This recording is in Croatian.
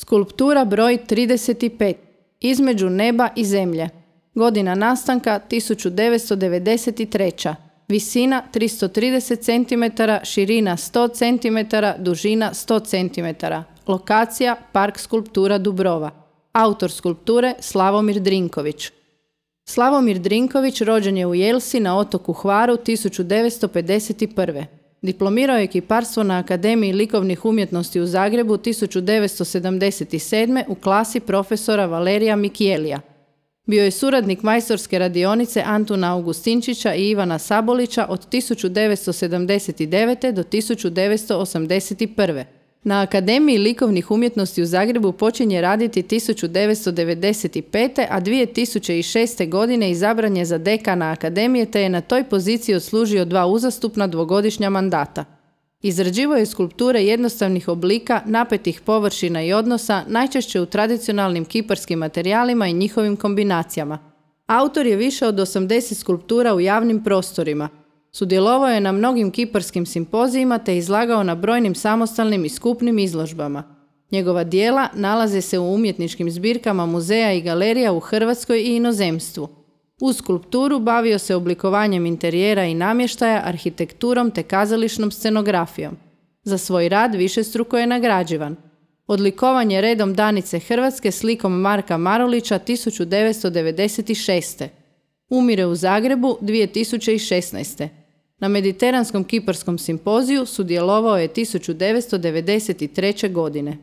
Skulptura broj 35. Između neba i zemlje. Godina nastanka 1993. Visina 330 cm, širina 100 cm, dužina 100 cm. Lokacija Park skulptura Dubrova. Autor skulpture Slavomir Drinković. Slavomir Drinković rođen je u Jelsi na otoku Hvaru 1951. Diplomirao je kiparstvo na Akademiji likovnih umjetnosti u Zagrebu 1977. u klasi profesora Valerija Mikijelija. Bio je suradnik majstorske radionice Antuna Augustinčića i Ivana Sabolića od 1979. do 1981. Na Akademiji likovnih umjetnosti u Zagrebu počinje raditi 1995. a 2006. godine izabran je za dekana Akademije te je na toj poziciji odslužio 2 uzastupna dvogodišnja mandata. Izrađivao je skulpture jednostavnih oblika, napetih površina i odnosa, najčešće u tradicionalnim kiparskim materijalima i njihovim kombinacijama. Autor je više od 80 skulptura u javnim prostorima. Sudjelovao je na mnogim kiparskim simpozijima te izlagao na brojnim samostalnim i skupnim izložbama. Njegova djela nalaze se u umjetničkim zbirkama muzeja i galerija u Hrvatskoj i inozemstvu. Uz skulpturu bavio se oblikovanjem interijera i namještaja, arhitekturom te kazališnom scenografijom. Za svoj rad višestruko je nagrađivan. Odlikovan je redom Danice Hrvatske slikom Marka Marulića 1996. Umire u Zagrebu 2016. Na Mediteranskom kiparskom simpoziju sudjelovao je 1993. godine.